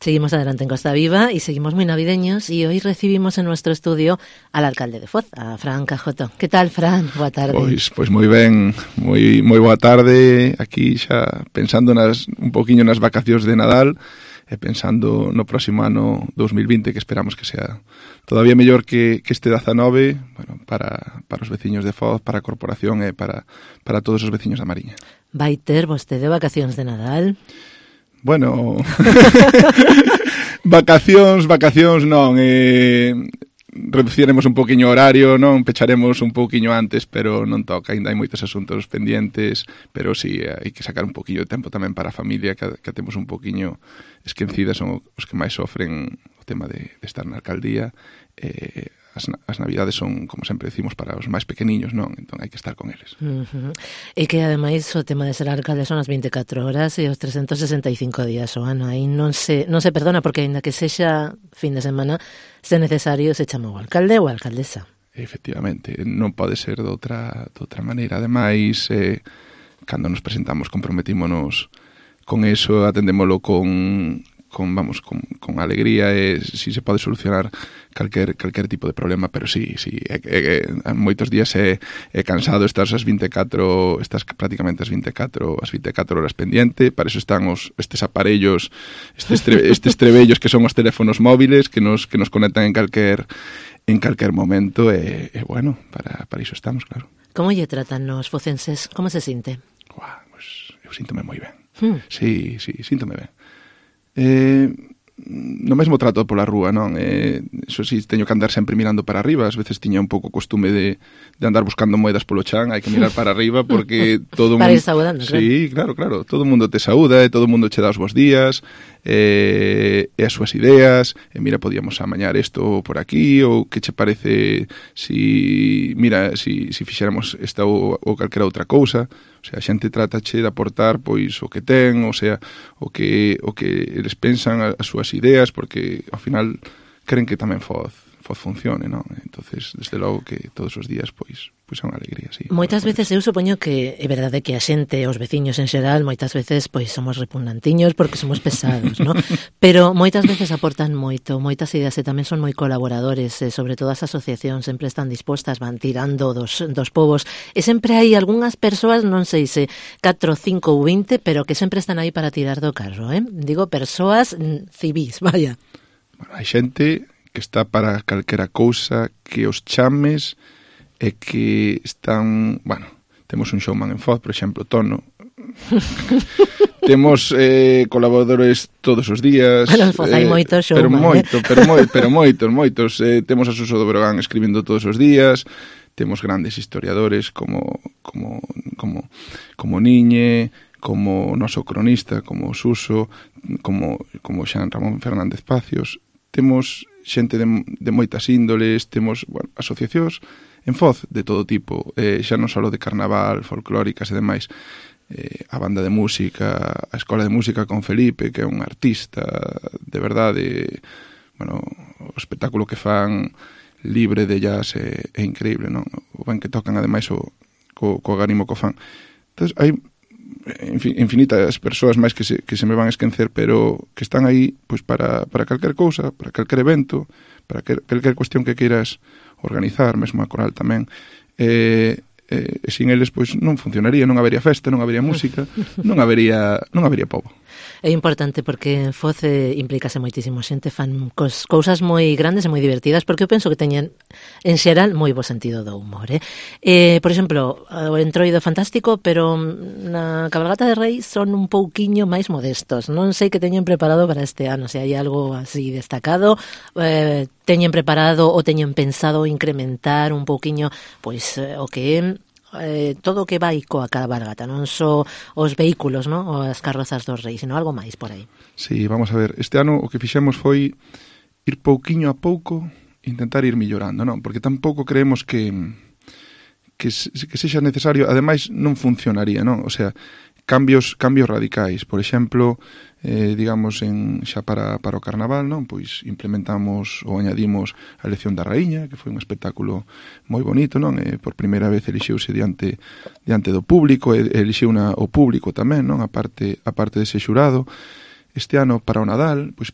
Seguimos adelante en Costa Viva y seguimos muy navideños y hoy recibimos en nuestro estudio al alcalde de Foz, a Fran Cajoto. Que tal, Fran? Boa tarde. Pois moi ben, moi boa tarde. Aquí xa pensando un poquinho nas vacacións de Nadal e pensando no próximo ano 2020 que esperamos que sea todavía mellor que este 19, bueno, para os veciños de Foz, para a corporación e para todos os veciños da Mariña. Vai ter vostede vacacións de Nadal? Bueno, vacacións non, reduciremos un poquinho o horario, non, pecharemos un poquinho antes, pero non toca, ainda hai moitos asuntos pendientes, pero sí, hai que sacar un poquinho de tempo tamén para a familia, que temos un poquinho esquecidas, son os que máis sofren o tema de estar na alcaldía. As navidades son, como sempre decimos, para os máis pequeniños, non? Entón hai que estar con eles. E que, ademais, o tema de ser alcalde son as 24 horas e os 365 días o ano. Aí non se perdona, porque ainda que sexa fin de semana, se necesario, se chama o alcalde ou a alcaldesa. Efectivamente, non pode ser de outra maneira. Ademais, cando nos presentamos, comprometímonos con eso, atendémolo con alegría, e si se pode solucionar calquer tipo de problema, pero sí, moitos días é cansado estar estás prácticamente as 24 horas pendiente. Para eso están estes aparellos, estes trebellos que son os teléfonos móviles que nos conectan en calquer momento, e bueno, para iso estamos, claro. Como lle tratan os focenses? Como se sinte? Pues eu síntome moi ben. Sí, síntome ben. No mesmo trato pola rúa, non? Eso sí, teño que andar sempre mirando para arriba. Ás veces tiña un pouco costume de andar buscando moedas polo chan. Hai que mirar para arriba porque todo para ir saudando, claro. Sí, claro. Todo o mundo te saúda e todo o mundo che dá os bons días e as súas ideas. E mira, podíamos amañar isto por aquí, ou que che parece si fixéramos esta ou calquera outra cousa. O sea, a xente tratache de aportar pois o que ten, o sea, o que eles pensan, as súas ideas, porque ao final queren que tamén Foz funcione, non? Entonces, desde logo que todos os días pois é unha alegría, sí. Moitas veces eu supoño que é verdade que a xente, os veciños en xeral, moitas veces pois somos repugnantiños porque somos pesados, non? Pero moitas veces aportan moito, moitas ideas e tamén son moi colaboradores, sobre todo as asociacións sempre están dispostas, van tirando dos povos, e sempre hai algunhas persoas, non sei se 4, 5 ou 20, pero que sempre están aí para tirar do carro, Digo, persoas civís, vaya. Bueno, hai xente que está para calquera cousa, que os chames e que están... Bueno, temos un showman en Foz, por exemplo, Tono. Temos colaboradores todos os días. Bueno, en Foz hai moitos showman. Pero moitos. Temos a Suso do Brogan escribindo todos os días. Temos grandes historiadores como Niñe, como o noso cronista, como Suso, como Xan Ramón Fernández Pacios. Temos xente de moitas índoles, temos asociacións en Foz de todo tipo, xa non só de carnaval, folclóricas e demais, a banda de música, a escola de música con Felipe, que é un artista de verdade, bueno, o espectáculo que fan libre de jazz é increíble, non? O ben que tocan ademais co agarimo co fan. Entón, hai infinitas persoas máis que se me van a esquecer, pero que están aí pois para calquer cousa, para calquer evento, para calquer cuestión que queiras organizar, mesmo a coral tamén. E sin eles pois non funcionaría, non habería festa, non habería música, non habería pobo. É importante porque en Foz implícase moitísimo xente, fan cousas moi grandes e moi divertidas, porque eu penso que teñen en xeral moi bo sentido do humor, Por exemplo, o Entroido fantástico, pero na cabalgata de Reis son un pouquiño máis modestos. Non sei que teñen preparado para este ano, se hai algo así destacado, teñen preparado ou teñen pensado incrementar un pouquiño pois o que é todo o que vai coa cabalgata, non só os vehículos, non? Ou as carrozas dos reis, sino algo máis por aí. Sí, vamos a ver, este ano o que fixemos foi ir pouquiño a pouco, intentar ir millorando, non? Porque tampouco creemos que sexa necesario, ademais non funcionaría, non? O sea, cambios radicais, por exemplo, digamos, xa para o carnaval, non? Pois implementamos ou añadimos a elección da raíña, que foi un espectáculo moi bonito, non? Por primeira vez elixeuse diante do público, elixiu o público tamén, non? A parte dese xurado. este ano para o Nadal, pois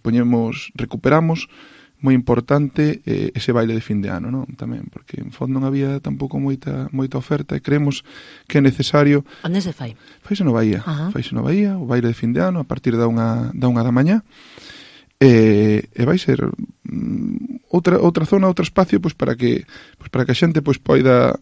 recuperamos moi importante ese baile de fin de ano, non? Tamén, porque en fondo non había tampouco moita oferta e creemos que é necesario. Onde se fai? Faise no Bahía, o baile de fin de ano a partir da unha da mañá. E vai ser outra zona, outro espacio pois para que a xente pois poida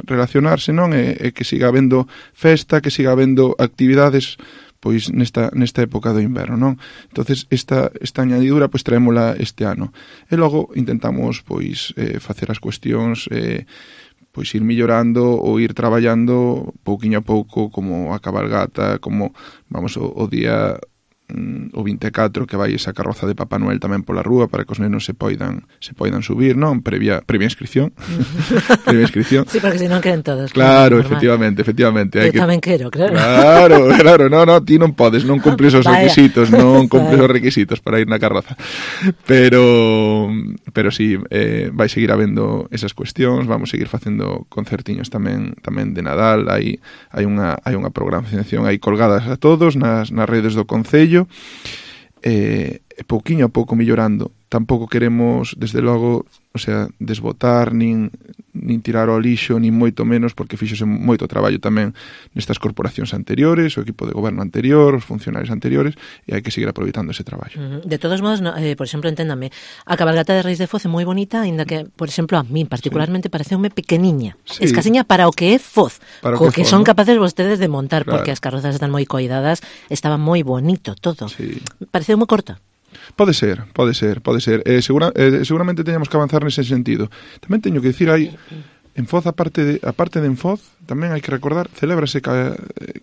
relacionarse, non? E que siga habendo festa, que siga habendo actividades pois nesta época do inverno, non? Entonces esta añadidura pois traémola este ano. E logo intentamos pois facer as cuestións pois ir millorando ou ir traballando pouquiño a pouco, como a cabalgata, como vamos o día o 24 que vai esa carroza de Papá Noel tamén pola rúa para que os nenos se poidan subir, non? Previa inscripción. Previa inscripción. Sí, porque senón queren todos. Claro, efectivamente. Eu tamén quero, claro. Claro, no, ti non podes, non cumples os requisitos, non cumples os requisitos para ir na carroza. Pero sí, vai seguir habendo esas cuestións, vamos seguir facendo concertiños tamén de Nadal, hai unha programación aí colgadas a todos nas redes do Concello. Pouquiño a pouco millorando. Tampouco queremos, desde logo, o sea, desbotar nin tirar ao lixo, nin moito menos, porque fíxose moito traballo tamén nestas corporacións anteriores, o equipo de goberno anterior, os funcionarios anteriores, e hai que seguir aproveitando ese traballo. De todos modos, por exemplo, enténdame, a cabalgata de Reis de Foz é moi bonita, aínda que, por exemplo, a mí particularmente pareceume pequeniña, escasiña para o que é Foz, co que son capaces vostedes de montar, porque as carrozas están moi coidadas, estaba moi bonito todo. Pareceu moi corta. Pode ser. Seguramente teñamos que avanzar nese sentido. Tamén teño que dicir, hai en Foz, aparte de Enfoz, tamén hai que recordar, celébrase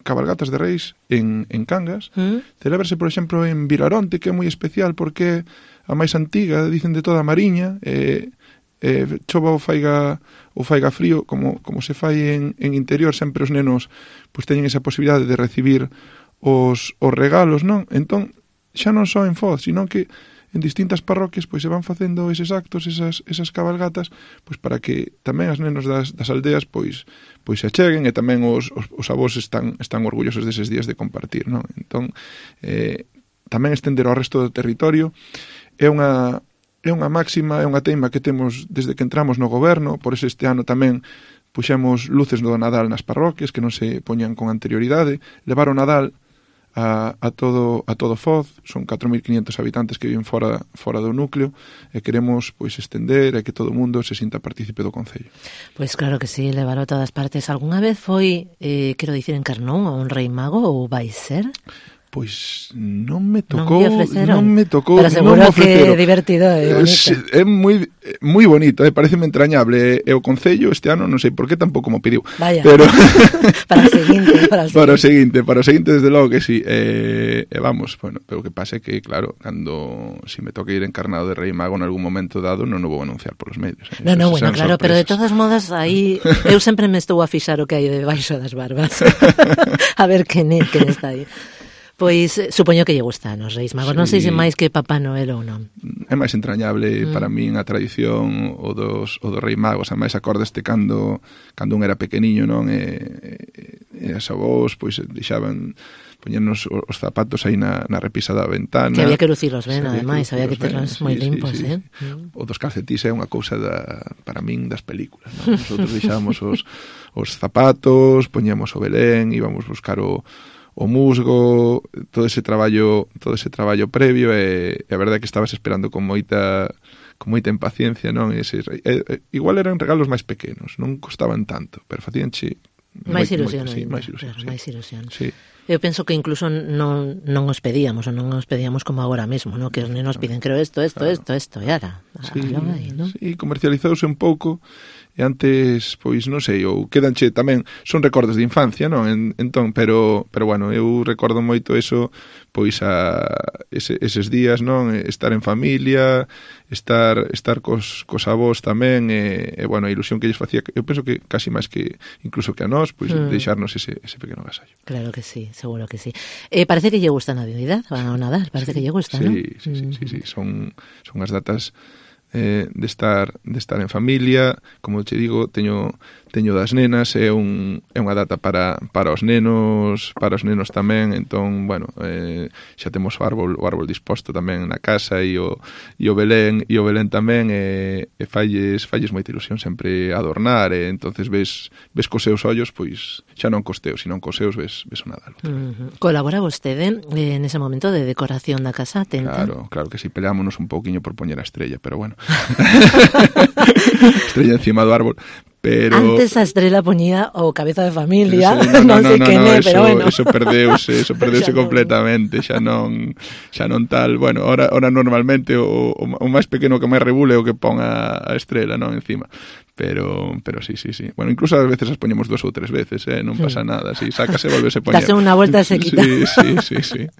cabalgatas de Reis en Cangas, celébrase, por exemplo, en Vilaronte, que é moi especial porque é a máis antiga, dicen, de toda a Mariña, chova ou faiga frío, como se fai en interior, sempre os nenos pois teñen esa posibilidade de recibir os regalos, non? Entón, xa non só en Foz, sino que en distintas parroquias pois se van facendo eses actos, esas cabalgatas, pois para que tamén as nenos das aldeas pois se acheguen, e tamén os avós están orgullosos deses días de compartir, non? Entón, tamén estender ao resto do territorio é unha máxima, é unha teima que temos desde que entramos no goberno. Por eso este ano tamén puxemos luces do Nadal nas parroquias que non se poñan con anterioridade, levar o Nadal a todo Foz. Son 4.500 habitantes que viven fora do núcleo, e queremos pois estender e que todo o mundo se sinta partícipe do Concello. Pois claro que sí, levar a todas partes. Algúnha vez foi, quero dicir, en Carnón a un rei mago, ou vai ser? Pois non me tocou, pero seguro que é divertido e bonito. É moi bonito, pareceme entrañable, e o Concello este ano non sei por que tampouco mo pediu. Vaya. Pero para o seguinte desde logo que sí. Vamos, bueno, pero o que pasa é que claro, cando si me toque ir encarnado de Rei Mago en algún momento dado, non o vou anunciar polos medios. No, bueno, claro, sorpresas. Pero de todos modos aí eu sempre me estou a fixar o que hai debaixo das barbas. A ver quen está aí. Pois supoño que lle gustan os Reis Magos, non sei se máis que Papá Noel ou non. É máis entrañable para min a tradición o dos Reis Magos, a máis acordeste cando un era pequeniño, non? E as avós pois deixaban poñernos os zapatos aí na repisa da ventana. Que había que lucirlos ben, ademais, había que terlos moi limpos, sí. O dos calcetís é unha cousa para min das películas, non? Nosotros deixábamos os zapatos, poñíamos o Belén, íbamos buscar o musgo, todo ese traballo previo, e a verdade é que estabas esperando con moita impaciencia, non? Igual eran regalos máis pequenos, non costaban tanto, pero facíanche máis ilusión. Máis ilusión. Sí. Eu penso que incluso non os pedíamos, ou non os pedíamos como agora mesmo, ¿no? Que os nenos piden, creo isto, e ara. Sí, comercializouse un pouco. E antes, pois, non sei, ou quedanche tamén, son recordos de infancia, non? Entón, pero bueno, eu recordo moito eso, pois, eses días, non? Estar en familia, estar cos avós tamén, e bueno, a ilusión que lles facía, eu penso que casi máis que, incluso que a nós, pois, deixarnos ese pequeno agasallo. Claro que sí, seguro que sí. Parece que lle gusta a Navidad, ao Nadal, parece que lle gusta, non? Sí, son as datas de estar en familia. Como te digo, teño teño das nenas, é unha data para os nenos tamén, entón, bueno, xa temos o árbol disposto tamén na casa e o Belén tamén, e falles moita ilusión sempre adornar, e entonces ves cos seus ollos, pois xa non cos teus, senón cos seus ves o Nadal. Colabora vostede nese momento de decoración da casa, tenta? Claro que sí, peleámonos un pouquiño por poñer a estrella, pero bueno. Estrella encima do árbol. Pero... Antes a estrela poñía o cabeza de familia, non sei quen é, pero bueno. Eso perdeuse completamente, xa non tal, bueno, ahora normalmente o máis pequeno que máis rebule é o que pon a estrela, non, encima. Pero sí. Bueno, incluso a veces as poñemos 2 ou 3 veces, non pasa nada, si sácase, volvese poñer. Dase unha volta e se quita. Sí.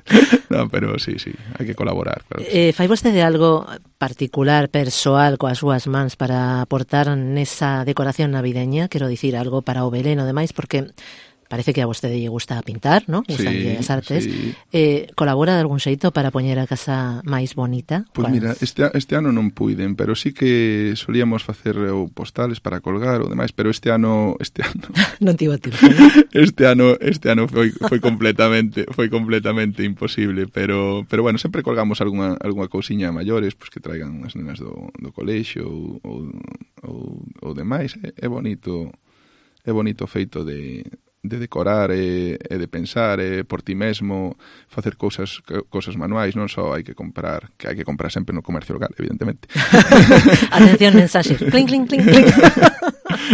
No, pero sí, hai que colaborar, claro. Fai vostede algo particular, persoal, coas súas mans para aportar nesa decoración navideña, quero dicir, algo para o Belén e demais, porque parece que a vostede lle gusta pintar, ¿no? Gustanlle as artes. Sí. Colabora de algún xeito para poñer a casa máis bonita? Pois mira, este ano non puiden, pero sí que solíamos facer postales para colgar ou demais, pero este ano non tivo tempo, ¿no? Este ano foi completamente imposible, pero bueno, sempre colgamos algunha cousiña maiores, pois que traigan as nenas do colexio ou demais. É bonito o feito de decorar e de pensar por ti mesmo, facer cousas manuais, non só hai que comprar sempre no comercio local, evidentemente. Atención, mensaxe, clink, clink, clink, clink.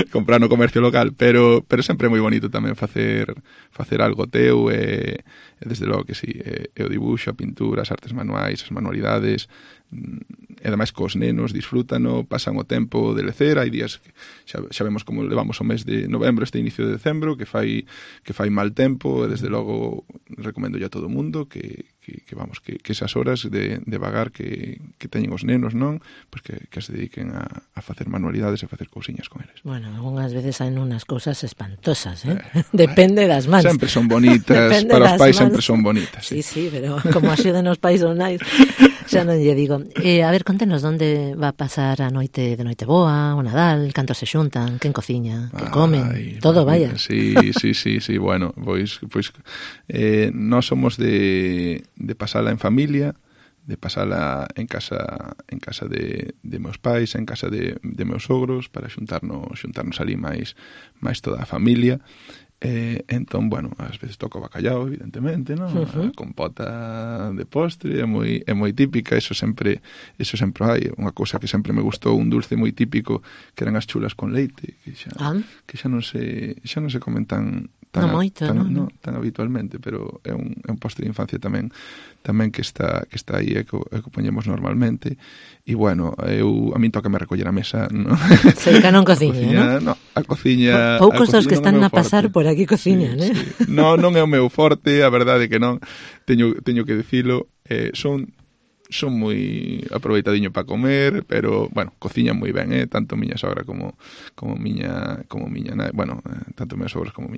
Comprar no comercio local, pero sempre é moi bonito tamén facer algo teu, e desde logo que sí, o dibuixo, a pintura, as artes manuais, as manualidades, e ademais cos nenos disfrútano, pasan o tempo de lecer. Hai días que xa vemos como levamos o mes de novembro, este inicio de decembro, que fai mal tempo, e desde logo recomendo a todo o mundo que esas horas de vagar que teñen os nenos, non? Pois que se dediquen a facer manualidades e facer cousiñas con eles. Bueno, algunhas veces hai unas cousas espantosas, depende das mans. Sempre son bonitas, para os pais sempre son bonitas. Sí, pero como axuden os pais ou nais, xa non lle digo. A ver, contenos onde va a pasar a noite de Noiteboa, o Nadal, cantos se xuntan, quen cociña, que comen, todo, vaya. Sí, bueno, pois nós somos de pasala en familia, de pasala en casa de meus pais, en casa de meus sogros, para xuntarnos ali máis toda a familia. Entón, bueno, ás veces toca o bacallao, evidentemente, non? A compota de postre é moi típica, eso sempre hai. Unha cousa que sempre me gustou, un dulce moi típico, que eran as chulas con leite, que xa non se comen tan habitualmente, pero é un postre de infancia tamén que está aí, e que poñemos normalmente. E bueno, a min toca me recoller a mesa, non? Cerca non cociña, non? No, a cociña... Poucos dos que están a pasar por aquí cociñan, sí. Non é o meu forte, a verdade que non, teño que dicilo. Son moi aproveitadiño para comer, pero, bueno, cociñan moi ben, tanto miña sogra como miña nai, bueno, tanto meus sogros como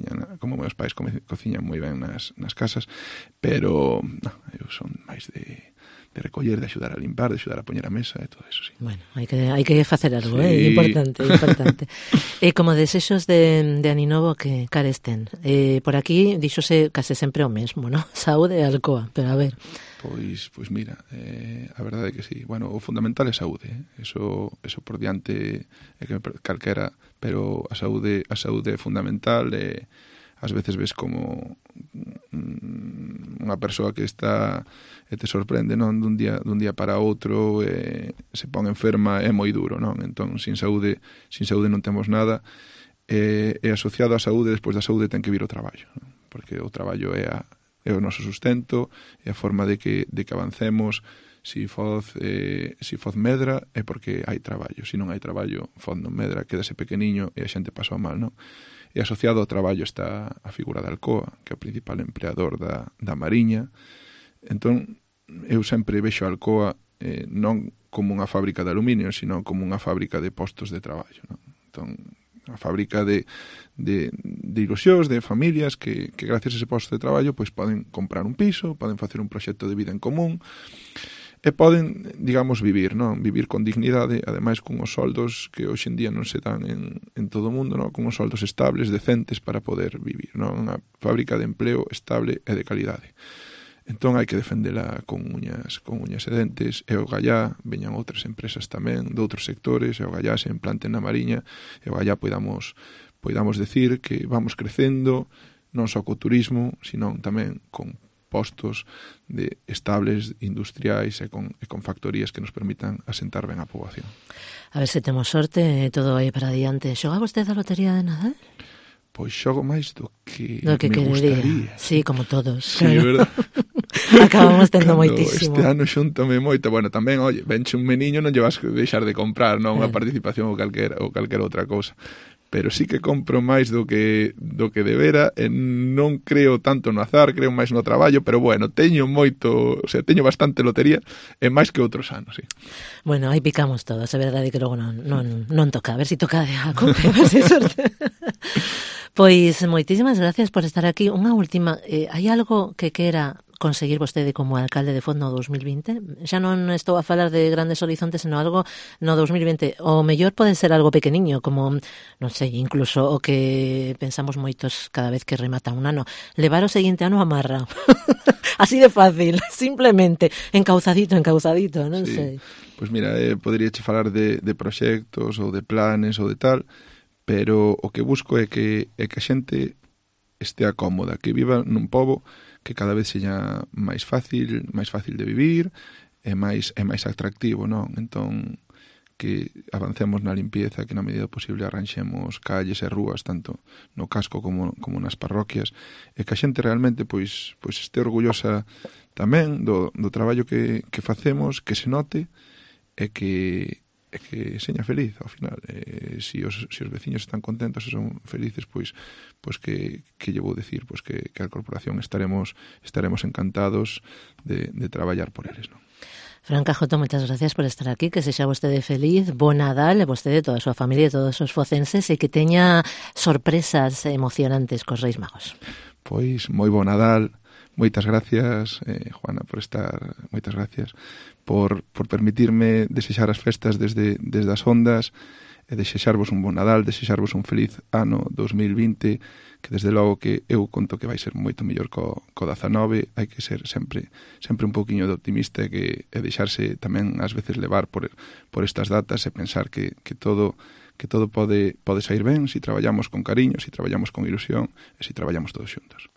meus pais cociñan moi ben nas casas, pero non, eu son máis de recoller, de axudar a limpar, de axudar a poñer a mesa e todo eso, sí. Bueno, hai que facer algo, sí. Importante. Como desexos de Aninovo que caresten. Por aquí díxose case sempre o mesmo, ¿no? Saúde e Alcoa, pero a ver... Pois mira, a verdade é que sí. Bueno, o fundamental é saúde, eso por diante é que calquera, pero a saúde é fundamental. Ás veces ves como unha persoa que está e te sorprende, non, dun día para outro, se pon enferma, é moi duro, non? Entón, sin saúde non temos nada, e asociado á saúde, despois da saúde ten que vir o traballo, non? Porque o traballo é o noso sustento, é a forma de que avancemos. Si foz medra é porque hai traballo, se non hai traballo, foz non medra, quedase pequeniño e a xente pasou mal, non? E asociado ao traballo está a figura da Alcoa, que é o principal empleador da Mariña. Entón, eu sempre vexo a Alcoa non como unha fábrica de aluminio, sino como unha fábrica de postos de traballo, non? Entón, a fábrica de ilusións, de familias que gracias a ese posto de traballo pois poden comprar un piso, poden facer un proxecto de vida en común, e poden, digamos, vivir, non? Vivir con dignidade, ademais con os soldos que hoxe en día non se dan en todo o mundo, non? Con os soldos estables, decentes para poder vivir, non? Unha fábrica de empleo estable e de calidade. Entón hai que defendela con uñas e dentes, e o gallá veñan outras empresas tamén de outros sectores, e o gallá se implanten na Mariña, e o gallá poidamos decir que vamos crecendo non só co turismo, senón tamén con postos de estables, industriais e con factorías que nos permitan asentar ben a poboación. A ver se temos sorte e todo vai para adiante. Xoga vostede a lotería de Nadal? Pois xogo máis do que me querería. Gustaría. Sí, como todos. Sí, claro. verdad. Acabamos tendo moitísimo. Este ano xuntame moito. Bueno, tamén, oye, venche un meniño, non lle vas deixar de comprar, non? Unha participación ou calquera outra cousa. Pero sí que compro máis do que debera, e non creo tanto no azar, creo máis no traballo, pero bueno, teño bastante lotería, e máis que outros anos, sí. Bueno, aí picamos todos, é verdade que logo non toca, a ver se toca a compra, a ver se sorte. Pois moitísimas gracias por estar aquí. Unha última, hai algo que quera conseguir vostede como alcalde de Foz no 2020? Xa non estou a falar de grandes horizontes, senón algo no 2020. O mellor pode ser algo pequeniño, como, non sei, incluso o que pensamos moitos cada vez que remata un ano. Levar o seguinte ano a marra. Así de fácil, simplemente. Encauzadito, non sei. Pois mira, poderíache falar de proxectos ou de planes ou de tal, pero o que busco é que a xente estea cómoda, que viva nun pobo que cada vez seña máis fácil de vivir e máis atractivo, non? Entón, que avancemos na limpieza, que na medida posible arranxemos calles e rúas, tanto no casco como nas parroquias, e que a xente realmente pois este orgullosa tamén do traballo que facemos, que se note e que seña feliz ao final. Se os veciños están contentos e son felices, pois que lle vou dicir, pois que a corporación estaremos encantados de traballar por eles, non? Fran Cajoto, moitas gracias por estar aquí, que sexa vostede feliz, bo Nadal, e vostede, toda a súa familia e todos os focenses, e que teña sorpresas emocionantes cos Reis Magos. Pois moi bo Nadal. Moitas gracias, Juana, por estar. Moitas gracias por permitirme desexar as festas desde as ondas, e desexarvos un bon Nadal, desexarvos un feliz ano 2020, que desde logo que eu conto que vai ser moito mellor co 19. Hai que ser sempre un pouquiño de optimista e deixarse tamén ás veces levar por estas datas e pensar que todo pode sair ben se traballamos con cariño, se traballamos con ilusión e se traballamos todos xuntos.